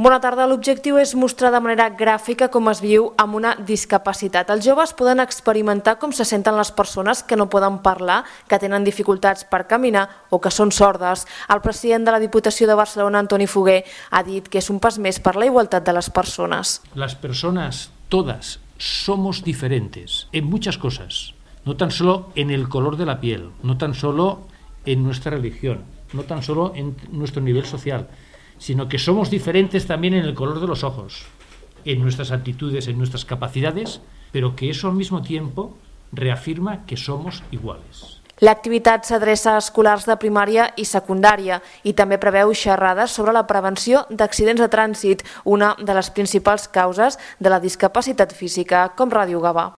Bona tarda. L'objectiu és mostrar de manera gràfica com es viu amb una discapacitat. Els joves poden experimentar com se senten les persones que no poden parlar, que tenen dificultats per caminar o que són sordes. El president de la Diputació de Barcelona, Antoni Foguer, ha dit que és un pas més per la igualtat de les persones. Las personas, todas, somos diferentes en muchas cosas, no tan solo en el color de la piel, no tan solo en nuestra religión, no tan solo en nuestro nivel social, sino que somos diferentes también en el color de los ojos, en nuestras actitudes, en nuestras capacidades, pero que eso al mismo tiempo reafirma que somos iguales. L'activitat s'adreça a escolars de primària i secundària i també preveu xerrades sobre la prevenció d'accidents de trànsit, una de les principals causes de la discapacitat física, com Ràdio Gavà.